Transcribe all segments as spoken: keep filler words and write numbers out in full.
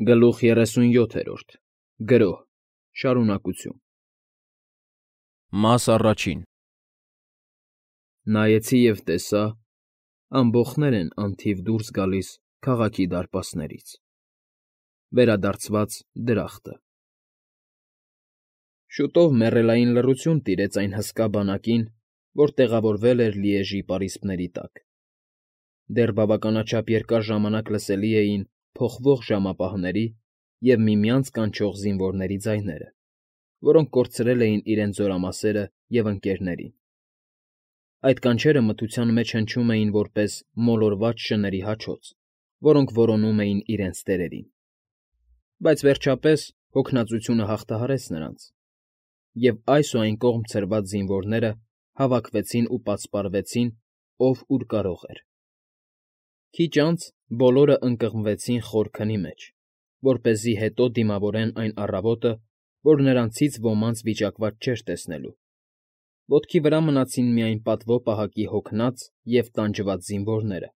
Գլուխ երեսունյոթերորդ Գրոհ, շարունակություն։ Մաս առաջին Նայեցի և տեսա. ամբոխներ են անթիվ դուրս գալիս քաղաքի դարպասներից, վերադարձված դրախտը։ Շուտով մեռելային լռություն տիրեց այն հսկա բանակին, որ տեղավորվել էր Լիեժի պարիսպների տակ. դեռ բավականաչափ երկար ժամանակ լսելի էին փոխվող ժամապահների և միմյանց կանչող զինվորների ձայները, որոնք կորցրել էին իրենց զորամասերը և ընկերներին. այդ կանչերը մթության մեջ հնչում էին որպես մոլորված շների հաչոց, որոնք որոնում էին իրենց տերերին։ Բայց վերջապես հոգնածությունը հաղթահարեց նրանց, և այս ու այն կողմ ցրված զինվորները հավաքվեցին ու պատսպարվեցին, ով ուր կարող էր։ Քիչ անց բոլորը ընկղմվեցին խոր քնի մեջ, որպեսզի հետո դիմավորեն այն առավոտը, որ նրանցից ոմանց վիճակված չէր տեսնելու։ Ոտքի վրա մնացին միայն պատվո պահակի հոգնած և տանջված զինվորները,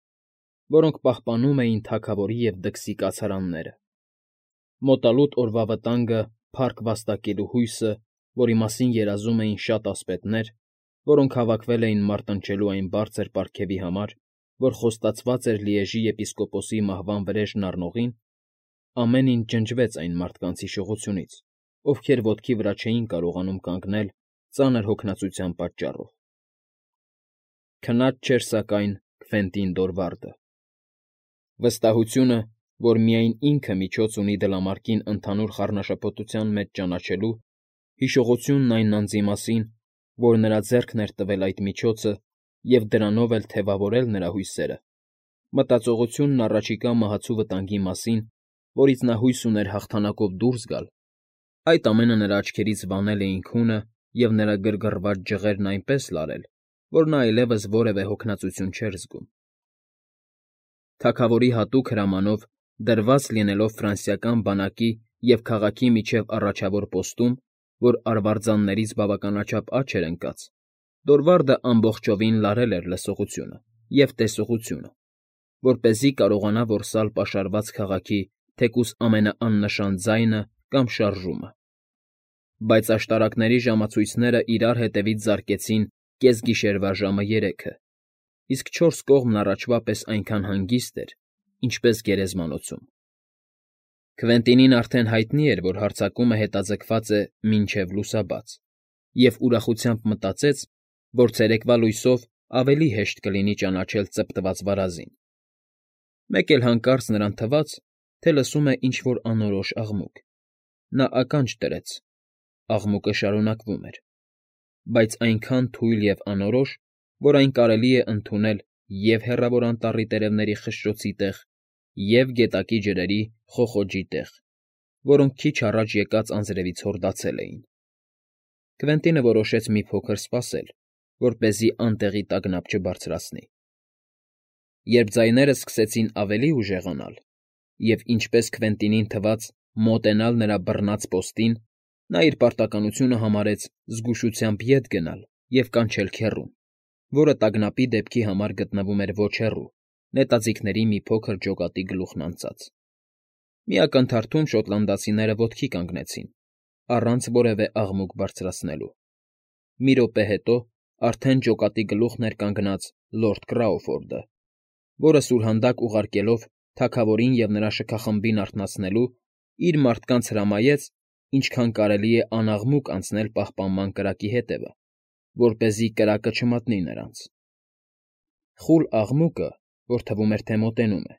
որոնք պահպանում էին թագավորի և դքսի կացարանները։ Մոտալուտ օրվա վտանգը փառք վաստակելու հույսը, որի մասին երազում էին շատ ասպետներ, որոնք հավաքվել էին մարտնչելու այն բարձր պարգևի համար, որ խոստացված էր Լիեժի եպիսկոպոսի մահվան վրեժն առնողին, ամեն ինչ ջնջվեց այն մարդկանց հիշողությունից, ովքեր ոտքի վրա չէին կարողանում կանգնել ծանր հոգնածության պատճառով։ Քնած չէր, սակայն, Քվենտին Դորվարդը։ Վստահությունը, որ միայն ինքը միջոց ունի դլամարկին ընդհանուր խառնաշփոթության մեջ ճանաչելու, հիշողությունն այն անձի մասին, որ նրա ձեռքն էր տվել այդ միջոցը և դրանով էլ թևավորել նրա հույսերը, մտածողությունն առաջիկա մահացու վտանգի մասին, որից նա հույս ուներ հաղթանակով դուրս գալ, այդ ամենը նրա աչքերից վանել էին քունը և նրա գրգռված ջղերն այնպես լարել, որ նա այլևս որևէ հոգնածություն չէր զգում։ Թագավորի հատուկ հրամանով, դրված լինելով ֆրանսիական բանակի և քաղաքի միջև առաջավոր պոստում, որ արվարձաններից բավականաչափ աջ էր ընկած, Դորվարդը ամբողջովին լարել էր լսողությունը և տեսողությունը, որպեսզի կարողանա որսալ պաշարված քաղաքի թեկուզ ամենաաննշան ձայնը կամ շարժումը։ Բայց աշտարակների ժամացույցները իրար հետևից զարկեցին կեսգիշերվա ժամը երեքը, իսկ չորս կողմն առաջվա պես այնքան հանգիստ էր, ինչպես գերեզմանոցում։ Քվենտինին արդեն հայտնի էր, որ հարձակումը հետաձգված է մինչև լուսաբաց, և ուրախությամբ մտածեց, որ ցերեկվա լույսով ավելի հեշտ կլինի ճանաչել ծպտված վարազին։ Մեկ էլ հանկարծ նրան թվաց, թե լսում է ինչ֊որ անորոշ աղմուկ։ Նա ականջ դրեց. աղմուկը շարունակվում էր, բայց այնքան թույլ և անորոշ, որ այն կարելի է ընդունել և՛ հեռավոր անտառի տերևների խշշոցի տեղ, և՛ գետակի ջրերի խոխոջի տեղ, որոնք քիչ առաջ եկած անձրևից հորդացել էին։ Քվենտինը որոշեց մի փոքր սպասել, որպեսզի անտեղի տագնապ չբարձրացնի։ Երբ ձայները սկսեցին ավելի ուժեղանալ և, ինչպես Քվենտինին թվաց, մոտենալ նրա բռնած պոստին, նա իր պարտականությունը համարեց զգուշությամբ ետ գնալ և կանչել քեռուն, որը տագնապի դեպքի համար գտնվում էր ոչ հեռու, նետաձիգների մի փոքր ջոկատի գլուխն անցած։ Մի ակնթարթում շոտլանդացիները ոտքի կանգնեցին, առանց որևէ աղմուկ բարձրացնելու։ Մի րոպե հետո արդեն ջոկատի գլուխն էր կանգնած լորդ Կրաուֆորդը, որը սուրհանդակ ուղարկելով թագավորին և նրա շքախմբին արթնացնելու, իր մարդկանց հրամայեց ինչքան կարելի է անաղմուկ անցնել պահպանման կրակի հետևը, որպեսզի կրակը չմատնի նրանց։ Խուլ աղմուկը, որ թվում էր, թե մոտենում է,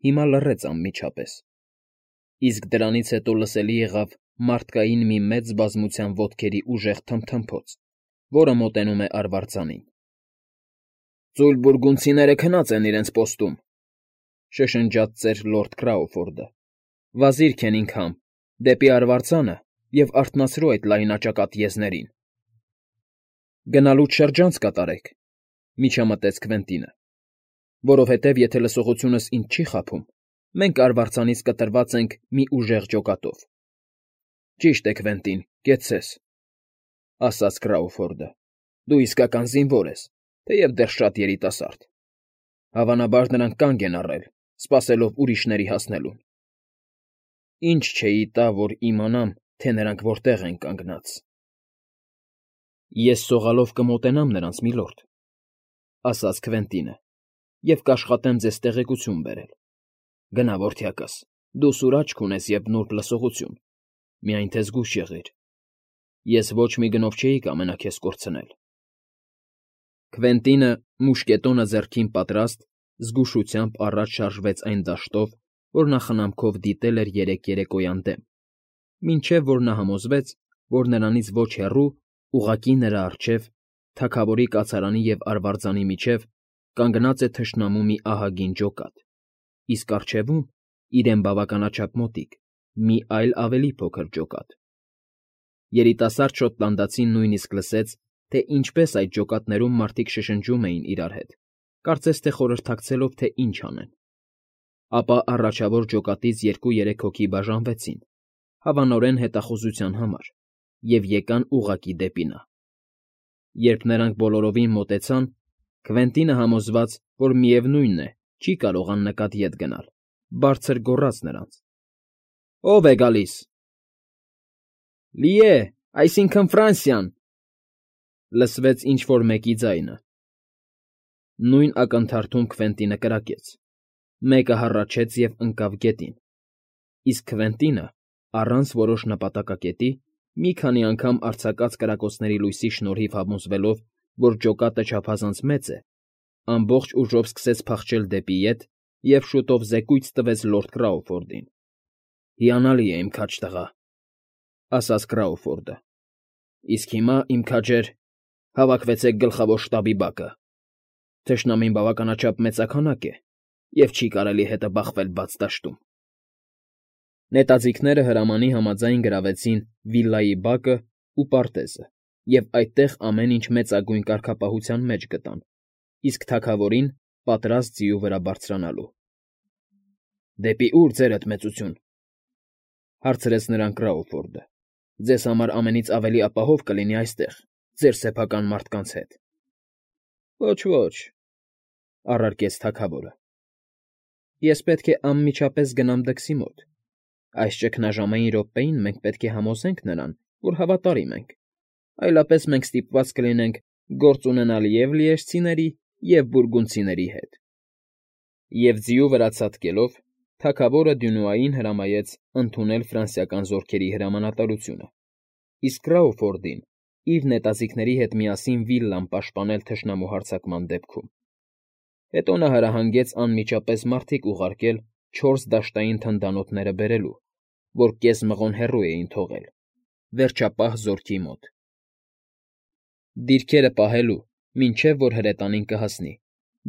հիմա լռեց անմիջապես, իսկ դրանից հետո լսելի եղավ մարդկային մի մեծ բազմության ոտքերի ուժեղ թմթմփոց, որը մոտենում է արվարձանին։ «Ծույլ բուրգունդցիները քնած են իրենց պոստում,֊ շշնջաց ծեր լորդ Քրաուֆորդը,֊ վազիր, Քենիգհամ, դեպի արվարձանը և արթնացրու այդ լայնաճակատ եզներին»։ «Գնալուց շրջանց կատարեք,֊ միջամտեց Քվենտինը,֊ որովհետև եթե լսողությունս ինձ չի խաբում, մենք արվարձանից կտրված ենք մի ուժեղ ջոկատով։ ֊ Ճիշտ է, Քվենտին, կեցցես,֊ ասաց Կրաուֆորդը,֊ դու իսկական զինվոր ես, թեև դեռ շատ երիտասարդ։ Հավանաբար նրանք կանգ են առել, սպասելով ուրիշների հասնելուն։ Ինչ չէի տա, որ իմանամ, թե նրանք որտեղ են կանգնած։ ֊ Ես սողալով կմոտենամ նրանց, միլորդ,֊ ասաց Քվենտինը,֊ և կաշխատեմ ձեզ տեղեկություն բերել։ Գնա, որդյակս, դու սուր աչք ունես և նուրբ լսողություն, միայն թե զգույշ եղիր. ես ոչ մի գնով չէի կամենա քեզ կորցնել։ Քվենտինը, մուշկետոնը ձեռքին պատրաստ, զգուշությամբ առաջ շարժվեց այն դաշտով, որ նա խնամքով դիտել էր երեկ երեկոյան դեմ, մինչև որ նա համոզվեց, որ նրանից ոչ հեռու, ուղղակի նրա առջև, թագավորի կացարանի և արվարձանի միջև, կանգնած է թշնամու մի ահագին ջոկատ, իսկ առջևում, իրեն բավականաչափ մոտիկ, մի այլ ավելի փոքր ջոկատ։ Երիտասարդ շոտլանդացին նույնիսկ լսեց, թե ինչպես այդ ջոկատներում մարդիկ շշնջում էին իրար հետ, կարծես թե խորհրդակցելով, թե ինչ անեն։ Ապա առաջավոր ջոկատից երկու֊երեք հոգի բաժանվեցին, հավանորեն հետախուզության համար, և եկան ուղղակի դեպի նա։ Երբ նրանք բոլորովին մոտեցան, Քվենտինը համոզված, որ միևնույն է, չի կարող աննկատ ետ գնալ, բարձր գոռաց նրանց. ֊ Ո՞վ է գալիս։ ֊ Լի է, այսինքն՝ Ֆրանսիան,֊ լսվեց ինչ֊որ մեկի ձայնը։ Նույն ակնթարթում Քվենտինը կրակեց, մեկը հառաչեց և ընկավ գետին, իսկ Քվենտինը, առանց որոշ նպատակակետի, մի քանի անգամ արձակած կրակոցների լույսի շնորհիվ համոզվելով, որ ջոկատը չափազանց մեծ է, ամբողջ ուժով սկսեց փախչել դեպի ետ և շուտով զեկույց տվեց լորդ Կրաուֆորդին։ ֊ Հիանալի է, իմ քաջ տղա,֊ ասաց Կրաուֆորդը,֊ իսկ հիմա, իմ քաջեր, հավաքվեցեք գլխավոր շտաբի բակը. թշնամին բավականաչափ մեծաքանակ է և չի կարելի հետը բախվել բաց դաշտում։ Նետաձիգները հրամանի համաձայն գրավեցին վիլլայի բակն ու պարտեզը և այդտեղ ամեն ինչ մեծագույն կարգապահության մեջ գտան, իսկ թագավորին պատրաստ ձիու վրա բարձրանալու։ ֊ Դեպի ո՞ւր, ձերդ մեծություն,֊ հարցրեց նրան Կրաուֆորդը։ ֊ Ձեզ համար ամենից ավելի ապահով կլինի այստեղ, ձեր սեփական մարդկանց հետ։ ֊ Ոչ, ոչ,֊ առարկեց թագավորը,֊ ես պետք է անմիջապես գնամ դքսի մոտ, այս ճգնաժամային րոպեին մենք պետք է համոզենք նրան, որ հավատարիմ ենք, այլապես մենք ստիպված կլինենք գործ ունենալ և՛ լիեժցիների, և՛ բուրգունդցիների հետ։ Եվ ձիու վրա ցատկելով, թագավորը Դյունուային հրամայեց ընդունել ֆրանսիական զորքերի հրամանատարությունը, իսկ Կրաուֆորդին իր նետաձիգների հետ միասին վիլլան պաշտպանել թշնամու հարձակման դեպքում։ Հետո նա հրահանգեց անմիջապես մարդիկ ուղարկել չորս դաշտային թնդանոթները բերելու, որ կես մղոն հեռու էին թողել, վերջապահ զորքի մոտ, դիրքերը պահելու, մինչև որ հրետանին կհասնի,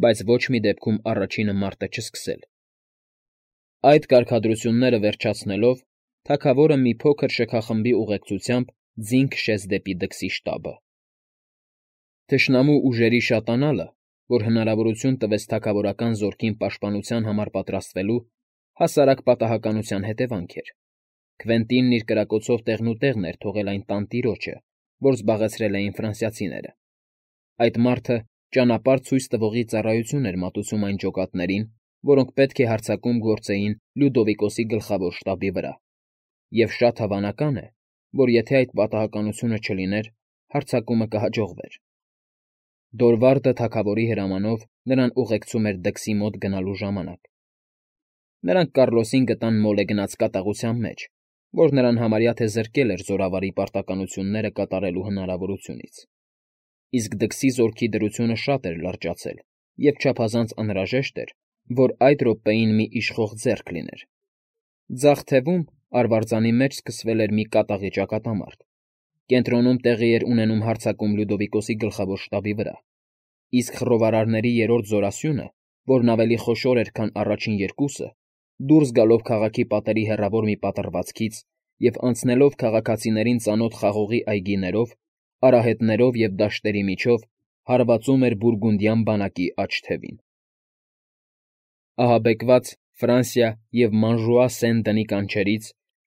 բայց ոչ մի դեպքում առաջինը մարտը չսկսել։ Այդ կարգադրությունները վերջացնելով, թագավորը մի փոքր շքախմբի ուղեկցությամբ ձին քշեց դեպի դքսի շտաբը։ Թշնամու ուժերի շատանալը, որ հնարավորություն տվեց թագավորական զորքին պաշտպանության համար պատրաստվելու, հասարակ պատահականության հետևանք էր։ Քվենտինն իր կրակոցով տեղնուտեղն էր թողել այն տանտիրոջը, որ զբաղեցրել էին ֆրանսիացիները։ Այդ մարդը ճանապարհ ցույց տվողի ծառայություն էր մատուցում այն ջոկատներին, որոնք պետք է հարձակում գործեին Լյուդովիկոսի գլխավոր շտաբի վրա, և շատ հավանական է, որ եթե այդ պատահականությունը չլիներ, հարձակումը կհաջողվեր։ Դորվարդը թագավորի հրամանով նրան ուղեկցում էր դքսի մոտ գնալու ժամանակ։ Նրանք Կառլոսին գտան մոլեգնած կատաղության մեջ, որ նրան համարյա թե զրկել էր զորավարի պարտականությունները կատարելու հնարավորությունից։ Իսկ դքսի զորքի դրությունը շատ էր լրջացել, և չափազանց անհրաժեշտ էր, որ այդ րոպեին մի իշխող ձեռք լիներ։ Ձախ թևում, արվարձանի մեջ սկսվել էր մի կատաղի ճակատամարտ, կենտրոնում տեղի էր ունենում հարձակում Լյուդովիկոսի գլխավոր շտաբի վրա, իսկ խռովարարների երրորդ զորասյունը, որն ավելի խոշոր էր, քան առաջին երկուսը, դուրս գալով քաղաքի պատերի հեռավոր մի պատռվածքից և անցնելով քաղաքացիներին ծանոթ խաղողի այգիներով, արահետներով և դաշտերի միջով, հարվածում էր բուրգունդյան բանակի աջ թևին։ Ահաբեկված Ֆրանսիա և Մանժուա Սեն֊Դնի կանչերից,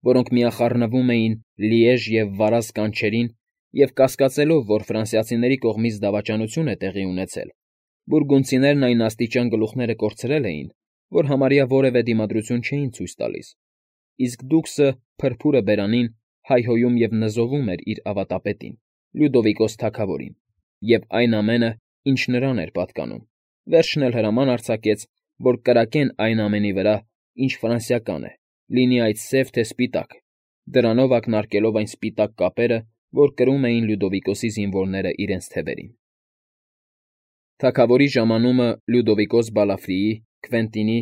որոնք միախառնվում էին Լիեժ և Վարազ կանչերին, և կասկածելով, որ ֆրանսիացիների կողմից դավաճանություն է տեղի ունեցել, բուրգունդցիներն այն աստիճան գլուխները կորցրել էին, որ համարյա որևէ դիմադրություն չէին ցույց տալիս, իսկ դուքսը փրփուրը բերանին հայհոյում և նզովում էր իր ավատապետին, Լյուդովիկոս թագավորին, և այն ամենը, ինչ նրան էր պատկանում, վերջն էլ հրաման արձակեց, որ կրակեն այն ամենի վրա, ինչ ֆրանսիական է, լինի այդ սև թե սպիտակ, դրանով ակնարկելով այն սպիտակ կապերը, որ կրում էին Լյուդովիկոսի զինվորները իրենց թևերին։ Թագավորի ժամանումը Լյուդովիկոս Բալաֆրիի, Քվենտինի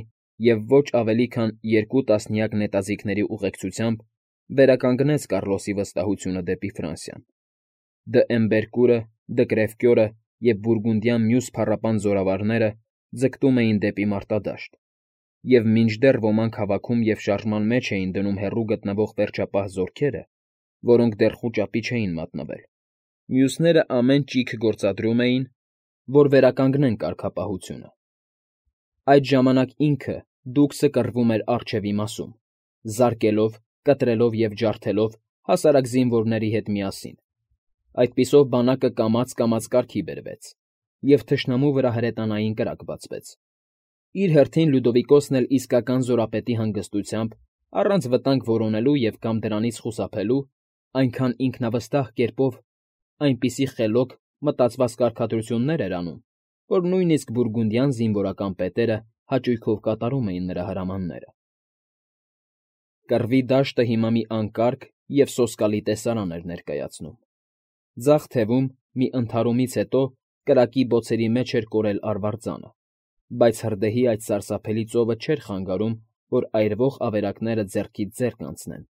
և ոչ ավելի քան երկու տասնյակ նետաձիգների ուղեկցությամբ վերականգնեց Կառլոսի վստահությունը դեպի Ֆրանսիան։ Դ. Էմբերկուրը, Դ. Կրևկյորը և Բուրգունդյան մյուս փառապան զորավարները ձգտում էին դեպի մարտադաշտ, և մինչդեռ ոմանք հավաքում և շարժման մեջ էին դնում հեռու գտնվող վերջապահ զորքերը, որոնք դեռ խուճապի չէին մատնվել, մյուսները ամեն ճիգ գործադրում էին, որ վերականգնեն կարգապահությունը։ Այդ ժամանակ ինքը դուքսը կռվում էր առջևի մասում, զարկելով, կտրելով և ջարդելով հասարակ զինվորների հետ միասին։ Այդպիսով բանակը կամաց֊կամաց կարգի բերվեց, և թշնամու վրա հրետանային կրակ բացվեց։ Իր հերթին Լյուդովիկոսն էլ իսկական զորապետի հանգստությամբ, առանց վտանգ որոնելու և կամ դրանից խուսափելու, այնքան ինքնավստահ կերպով այնպիսի խելոք, մտածված կարգադրություններ էր անում, որ նույնիսկ բուրգունդյան զինվորական պետերը հաճույքով կատարում էին նրա հրամանները։ Կռվի դաշտը հիմա մի անկարգ և սոսկալի տեսարան էր ներկայացնում։ Ձախ թևում, մի ընդհարումից հետո, կրակի բոցերի մեջ էր կորել արվարձանը, բայց հրդեհի այդ սարսափելի ծովը չէր խանգարում, որ այրվող ավերակները ձեռքից ձեռք անցնեն։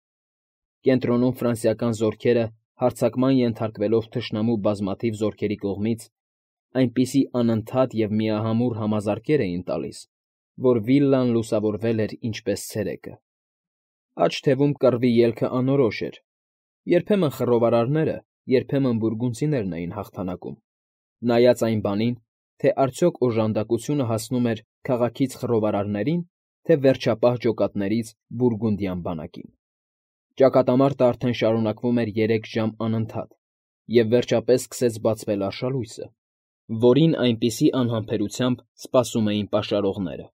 Կենտրոնում ֆրանսիական զորքերը, հարձակման ենթարկվելով թշնամու բազմաթիվ զորքերի կողմից, այնպիսի անընդհատ և միահամուռ համազարկեր էին տալիս, որ վիլլան լուսավորվել էր ինչպես ցերեկը։ Աջ թևում կռվի ելքը անորոշ էր. երբեմն խռովարարները, երբեմն բուրգունդցիներն էին հաղթանակում, նայած այն բանին, թե արդյոք օժանդակությունը հասնում էր քաղաքից խռովարարներին, թե վերջապահ ջոկատներից բուրգունդյան բանակին։ Ճակատամարտը արդեն շարունակվում էր երեք ժամ անընդհատ, և վերջապես սկսեց բացվել արշալույսը, որին այնպիսի անհամբերությամբ սպասում էին պաշարողները։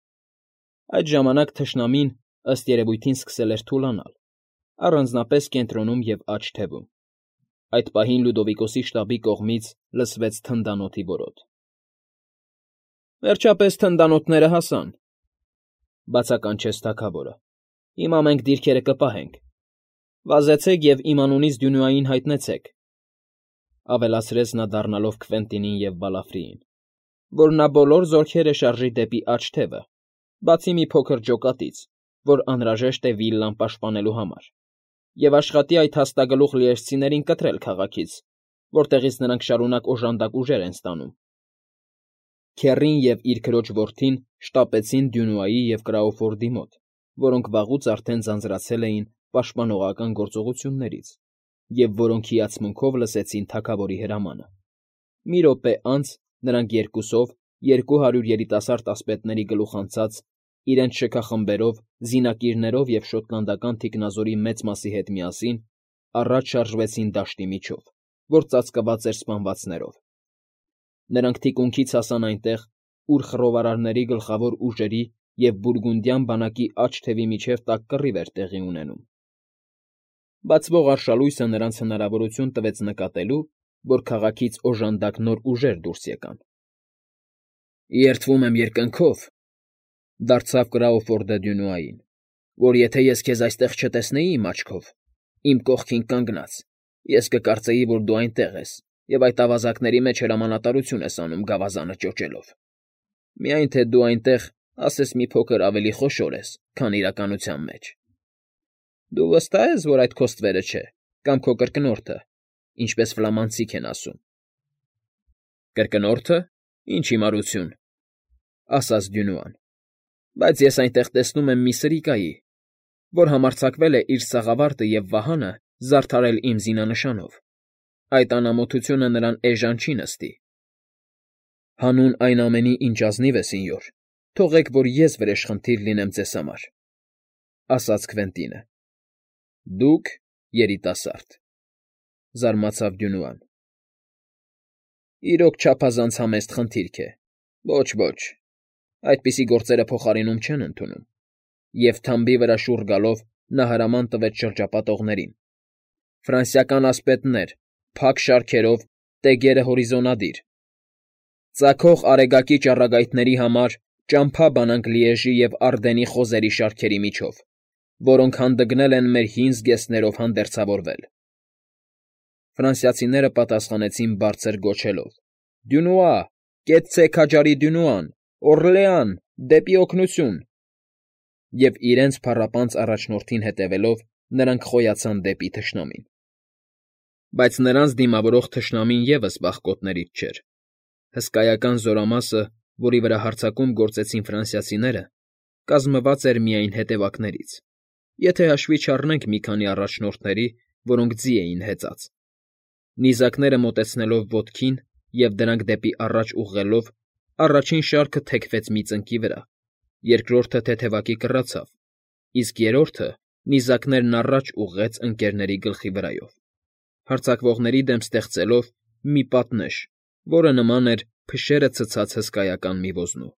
Այդ ժամանակ թշնամին, ըստ երևույթին, սկսել էր թուլանալ, առանձնապես կենտրոնում և աջ թևում։ Այդ պահին Լյուդովիկոսի շտաբի կողմից լսվեց թնդանոթի որոտ։ «Վերջապես թնդանոթները հասան,֊ բացականչեց թագավորը։֊ Հիմա մենք դիրքերը կպահենք։ Վազեցեք և իմ անունից Դյունուային հայտնեցեք,֊ ավելացրեց նա դառնալով Քվենտինին և Բալաֆրիին,֊ որ նա բոլոր զորքերը շարժի դեպի աջ թևը, բացի մի փոքր ջոկատից, որ անհրաժեշտ է վիլլան պաշտպանելու համար, և աշխատի այդ հաստագլուխ լիեժցիներին կտրել քաղաքից, որտեղից նրանք շարունակ օժանդակ ուժեր են ստանում։ Քեռին և իր քրոջ որդին շտապեցին Դյունուայի և Կրաուֆորդի մոտ, որոնք վաղուց արդեն ձանձրացել էին պաշտպանողական գործողություններից և որոնք հիացմունքով լսեցին թագավորի հրամանը։ Մի րոպե անց նրանք երկուսով, երկու հարյուր երիտասարդ ասպետների գլուխանցած, իրենց շքախմբերով, զինակիրներով և շոտլանդական թիկնազորի մեծ մասի հետ միասին առաջ շարժվեցին դաշտի միջով, որ ծածկված էր սպանվածներով։ Նրանք թիկունքից հասան այնտեղ, ուր խռովարարների գլխավոր ուժերի և բուրգունդյան բանակի աջ թևի միջև տաք կռիվ էր տեղի ունենում։ Բացվող արշալույսը նրանց հնարավորություն տվեց նկատելու, որ քաղաքից օժանդակ նոր ուժեր դուրս եկան։ «Երդվում եմ երկնքով,֊ դարձավ Կրաուֆորդը Դյունուային,֊ որ եթե ես քեզ այստեղ չտեսնեի իմ աչքով, իմ կողքին կանգնած, ես կկարծեի, որ դու այնտեղ ես և այդ ավազակների մեջ հրամանատարություն ես անում գավազանը ճոճելով։ Միայն թե դու այնտեղ, ասես մի փոքր ավելի խոշոր ես, քան իրականության մեջ։ Դու վստահ ես, որ այդ քո ստվերը չէ, կամ քո կրկնորդը, ինչպես ֆլամանցիք են ասում։ ֊ Կրկնո՞րդը, ինչ հիմարություն,֊ ասաց Դյունուան,֊ բայց ես այնտեղ տեսնում եմ մի սրիկայի, որ համարձակվել է իր սաղավարտը և վահանը զարդարել իմ զինանշանով։ Այդ անամոթությունը նրան էժան չի նստի։ ֊ Հանուն այն ամենի, ինչ ազնիվ է, սենյոր, թողեք, որ ես վրեժխնդիր լինեմ ձեզ համար,֊ ասաց Քվենտինը։ ֊ Դուք՝ երիտասարդ,֊ զարմացավ Դյունուան։ ֊ Իրոք չափազանց համեստ խնդիրք է։ Ոչ, ոչ, այդպիսի գործերը փոխարինում չեն ընդունում։ Եվ թամբի վրա շուռ գալով նա հրաման տվեց շրջապատողներին. «Ֆրանսիական ասպետներ, փակ շարքերով, տեգերը հորիզոնադիր։ Ծագող արեգակի ճառագայթների համար ճամփա բանանք Լիեժի և Արդենի խոզերի շարքերի միջով, որոնք հանդգնել են մեր հին զգեստներով հանդերձավորվել»։ Ֆրանսիացիները պատասխանեցին բարձր գոչելով. «Դյունուա, կեցցե քաջարի Դյունուան, Օռլեան, դեպի օգնություն»։ Եվ իրենց փառապանծ առաջնորդին հետևելով՝ նրանք խոյացան դեպի թշնամին։ Բայց նրանց դիմավորող թշնամին ևս վախկոտներից չէր։ Հսկայական զորամասը, որի վրա հարձակում գործեցին ֆրանսիացիները, կազմված էր միայն հետևակներից, եթե հաշվի չառնենք մի քանի առաջնորդների, որոնք ձի էին հեծած։ Նիզակները մոտեցնելով ոտքին և դրանք դեպի առաջ ուղղելով, առաջին շարքը թեքվեց մի ծնկի վրա, երկրորդը թեթևակի կռացավ, իսկ երրորդը նիզակներն առաջ ուղղեց ընկներների գլխի վրայով, հարձակվողների դեմ ստեղծելով մի պատնեշ, որը նման էր փշերը ցցած հսկայական մի ոզնու։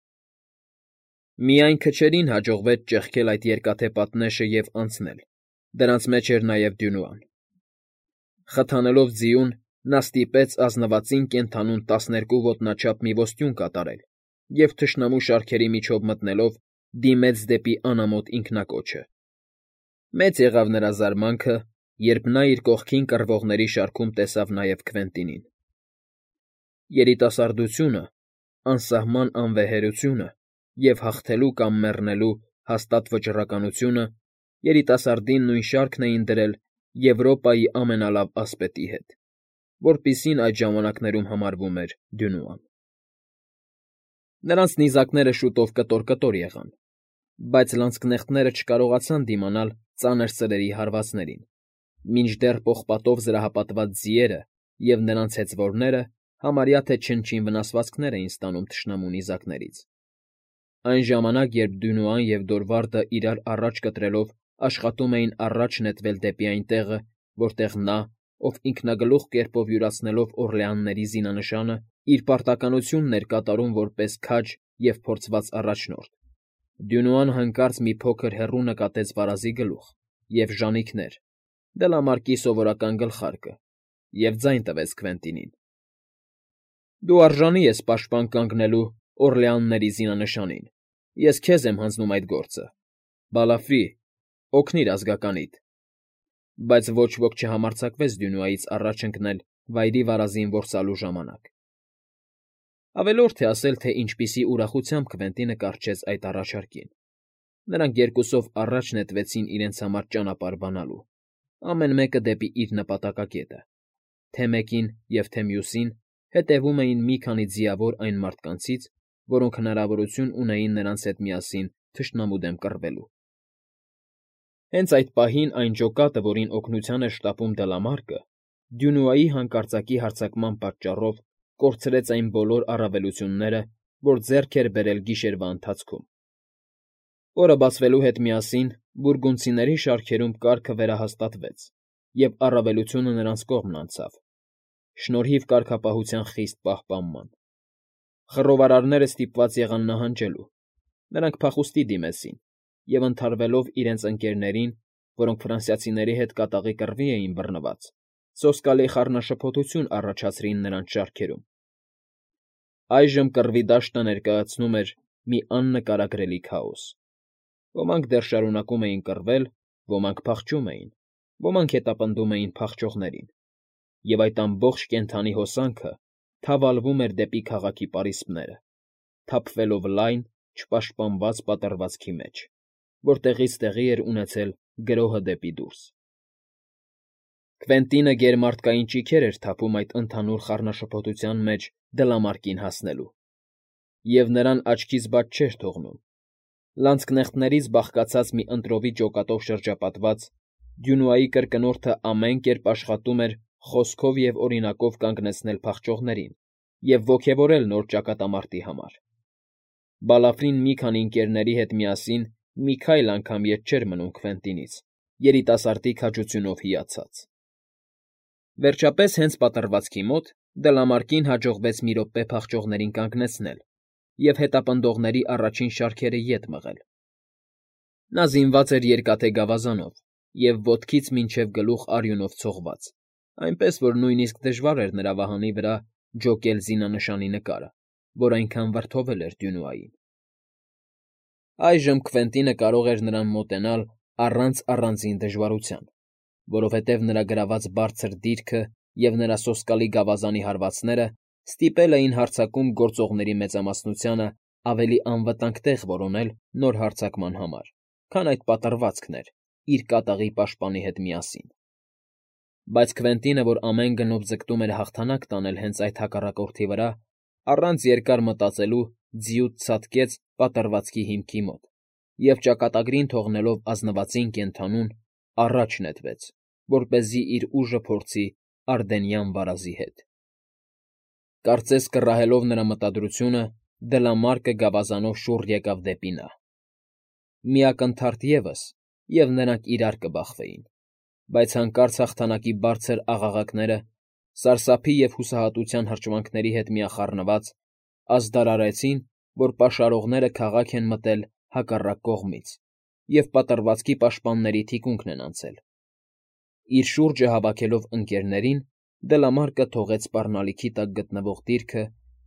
Միայն քչերին հաջողվեց ճեղքել այդ երկաթե պատնեշը և անցնել, դրանց մեջ էր նաև Դյունուան։ Խթանելով ձիուն՝ նա ստիպեց ազնվածին կենդանուն տասներկու ոտնաչափ մի ոստյուն կատարել և թշնամու շարքերի միջով մտնելով դիմեց դեպի անամոթ ինքնակոչը։ Մեծ եղավ նրա զարմանքը, երբ նա իր կողքին կռվողների շարքում տեսավ նաև Քվենտինին։ Երիտասարդությունը, անսահման անվեհերությունը և հաղթելու կամ մեռնելու հաստատ վճռականությունը երիտասարդին նույն շարքն էին դրել Եվրոպայի ամենալավ ասպետի հետ, որպիսին այդ ժամանակներում համարվում էր Դյունուան։ Նրանց նիզակները շուտով կտոր֊կտոր եղան, բայց լանցկնեխտները չկարողացան դիմանալ ծանր սրերի հարվածներին, մինչդեռ պողպատով զրահապատված ձիերը և նրանց հեծվորները համարյա թե չնչին վնասվածքներ էին ստանում թշնամու նիզակներից։ Այն ժամանակ, երբ Դյունուան և Դորվարդը իրար առաջ կտրելով աշխատում էին առաջ նետվել դեպի այն տեղը, որտեղ նա, ով ինքնագլուխ կերպով յուրացնելով Օռլեանների զինանշանը, իր պարտականությունն էր կատարում որպես քաջ և փորձված առաջնորդ, Դյունուան հանկարծ մի փոքր հեռու նկատեց վարազի գլուխ և ժանիքներ, դլամարկի սովորական գլխարկը, և ձայն տվեց Քվենտինին. «Դու արժանի ես պաշտպան կանգնելու Օռլեանների զինանշանին, ես քեզ եմ հանձնում այդ գործը, Բալաֆրի, օգնիր ազգականիդ»։ Բայց ոչ ոք չհամարձակվեց Դյունուայից առաջ ընկնել վայրի վարազին որսալու ժամանակ։ Ավելորդ է ասել, թե ինչպիսի ուրախությամբ Քվենտինը կառչեց այդ առաջարկին։ Նրանք երկուսով առաջ նետվեցին իրենց համար ճանապարհ բանալու, ամեն մեկը դեպի իր նպատակակետը, թե մեկին և թե մյուսին հետևում էին մի քանի ձիավոր այն մարդկանցից, որոնք հնարավորություն ունեին նրանց հետ միասին թշնամու դեմ կռվելու։ Հենց այդ պահին այն ջոկատը, որին օգնության էր շտապում Դլամարկը, Դյունուայի հանկարծակի հարձակման պատճառով կորցրեց այն բոլոր առավելությունները, որ ձեռք էր բերել գիշերվա ընթացքում։ Օրը բացվելու հետ միասին բուրգունդցիների շարքերում կարգը վերահաստատվեց, և առավելությունը նրանց կողմն անցավ, շնորհիվ կարգապահության խիստ պահպանման։ Խռովարարները ստիպված եղան նահանջելու, նրանք փախուստի դիմեցին և, ընդհարվելով իրենց ընկերներին, որոնք ֆրանսիացիների հետ կատաղի կռվի էին բռնված, սոսկալի խառնաշփոթություն առաջացրին նրանց շարքերում։ Այժմ կռվի դաշտը ներկայացնում էր մի աննկարագրելի քաոս։ Ոմանք դեռ շարունակում էին կռվել, ոմանք փախչում էին, ոմանք հետապնդում էին փախչողներին, և այդ ամբողջ կենդանի հոսանքը թավալվում էր դեպի քաղաքի պարիսպները, թափվելով լայն, չպաշտպանված պատռվածքի մեջ, որտեղից տեղի էր ունեցել գրոհը դեպի դուրս։ Քվենտինը գերմարդկային ճիգեր էր թափում այդ ընդհանուր խառնաշփոթության մեջ Դլամարկին հասնելու, և նրան աչքից բաց չէր թողնում։ Լանցկնեխտներից բաղկացած մի ընտրովի ջոկատով շրջապատված՝ Դյունուայի կրկնորդը ամեն կերպ աշխատում էր խոսքով և օրինակով կանգնեցնել փախչողներին և ոգևորել նոր ճակատամարտի համար։ Բալաֆրին մի քանի ընկերների հետ միասին մի քայլ անգամ ետ չէր մնում Քվենտինից, երիտասարդի քաջությունով հիացած։ Վերջապես, հենց պատռվածքի մոտ Դլամարկին հաջողվեց մի րոպե փախչողներին կանգնեցնել և հետապնդողների առաջին շարքերը ետ մղել։ Նա զինված էր երկաթե գավազանով և ոտքից մինչև գլուխ արյունով ցողված, այնպես որ նույնիսկ դժվար էր նրա վահանի վրա ջոկել զինանշանի նկարը, որ այնքան վրդովել էր Դյունուային։ Այժմ Քվենտինը կարող էր նրան մոտենալ առանց առանձին դժվարության, որովհետև նրա գրաված բարձր դիրքը և նրա սոսկալի գավազանի հարվածները ստիպել էին հարձակում գործողների մեծամասնությանը ավելի անվտանգ տեղ որոնել նոր հարձակման համար, քան այդ պատռվածքն էր իր կատաղի պաշտպանի հետ միասին։ Բայց Քվենտինը, որ ամեն գնով ձգտում էր հաղթանակ տանել հենց այդ հակառակորդի վրա, առանց երկար մտածելու ձիուց ցատկեց պատռվածքի հիմքի մոտ և, ճակատագրին թողնելով ազնվածին կենդանուն, առաջ նետվեց, որպեսզի իր ուժը փորձի Արդենյան վարազի հետ։ Կարծես կռահելով նրա մտադրությունը, Դլամարկը գավազանով շուռ եկավ դեպի նա։ Մի ակնթարթ ևս, և նրանք իրար կբախվեին, բայց հանկարծ հաղթանակի բարձր աղաղակները, սարսափի և հուսահատության հրճվանքների հետ միախառնված, ազդարարեցին, որ պաշարողները քաղաք են մտել հակառակ կողմից և պատռվածքի պաշտպանների թիկունքն են անցել։ Իր շուրջը հավաքելով ընկերներին, Դլամարկը թողեց սպառնալիքի տակ գտնվող դիրքը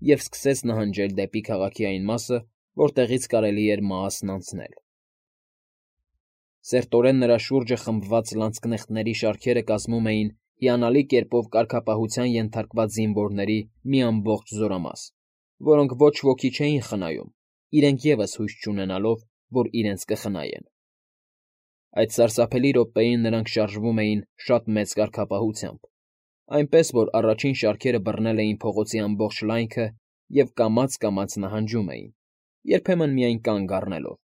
և սկսեց նահանջել դեպի քաղաքի այն մասը, որտեղից կարելի էր Մաասն անցնել։ Սերտորեն նրա շուրջը խմբված լանցկնեխտների շարքերը կազմում էին հիանալի կերպով կարգապահության ենթարկված զինվորների մի ամբողջ զորամաս, որոնք ոչ ոքի չէին խնայում, իրենք ևս հույս չունենալով, որ իրենց կխնայեն։ Այդ սարսափելի րոպեին նրանք շարժվում էին շատ մեծ կարգապահությամբ, այնպես որ առաջին շարքերը բռնել էին փողոցի ամբողջ լայնքը և կամաց֊կամաց նահանջում էին, երբեմն միայն կանգ առնելով,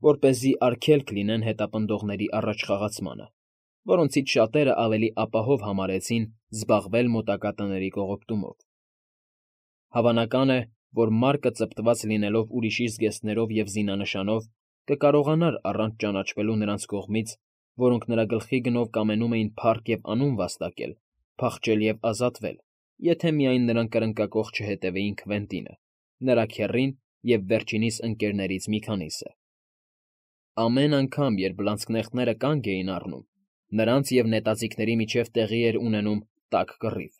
որպեսզի արգելք լինեն հետապնդողների առաջխաղացմանը, որոնցից շատերը ավելի ապահով համարեցին զբաղվել մոտակա տների կողոպտումով։ Հավանական է, որ Մարկը ծպտված լինելով ուրիշի զգեստներով և զինանշանով, կկարողանար առանց ճանաչվելու նրանց կողմից, որոնք նրա գլխի գնով կամենում էին փառք և անուն վաստակել, փախչել և ազատվել, եթե միայն նրան կրնկակոխ չհետևեին Քվենտինը, նրա քեռին և վերջինիս ընկերներից մի քանիսը։ Ամեն անգամ, երբ լանցկնեխտները կանգ էին առնում, նրանց և նետաձիգների միջև տեղի էր ունենում տաք կռիվ,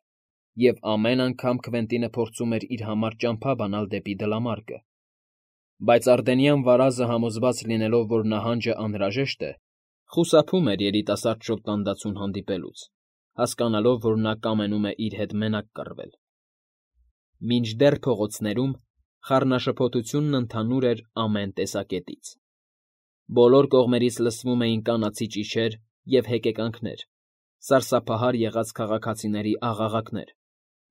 և ամեն անգամ Քվենտինը փորձում էր իր համար ճամփա բանալ դեպի Դլամարկը։ Բայց Արդենյան վարազը, համոզված լինելով, որ նահանջը անհրաժեշտ է, խուսափում էր երիտասարդ շոտլանդացուն հանդիպելուց, հասկանալով, որ նա կամենում է իր հետ մենակ կռվել։ Մինչդեռ փողոցներում խառնաշփոթությունն ընդհանուր էր ամեն տեսակետից։ Բոլոր կողմերից լսվում էին կանացի ճիչեր և հեկեկանքներ, սարսափահար եղած քաղաքացիների աղաղակներ,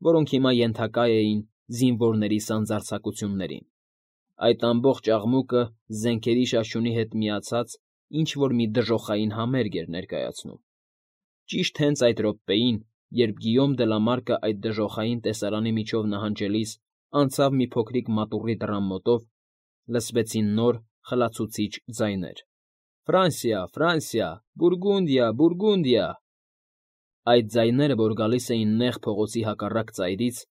որոնք հիմա ենթակա էին զինվորների սանձարձակություններին։ Այդ ամբողջ աղմուկը զենքերի շաշյունի հետ միացած ինչ֊որ մի դժոխային համերգ էր ներկայացնում։ Ճիշտ հենց այդ րոպեին, երբ Գիյոմ Դլամարկը այդ դժոխային տեսարանի միջով նահանջելիս անցավ մի փոքրիկ մատուռի դռան մոտով, լսվեցին նոր, խլացուցիչ ձայներ. «Ֆրանսիա, Ֆրանսիա, Բուրգունդիա, Բուրգունդիա»։ Այդ ձայները, որ գալիս էին նեղ փողոցի հակառակ ծայրից,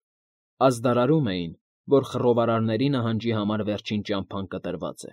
ազդարարում էին, որ խռովարարների նահանջի համար վերջին ճամփան կտրված է։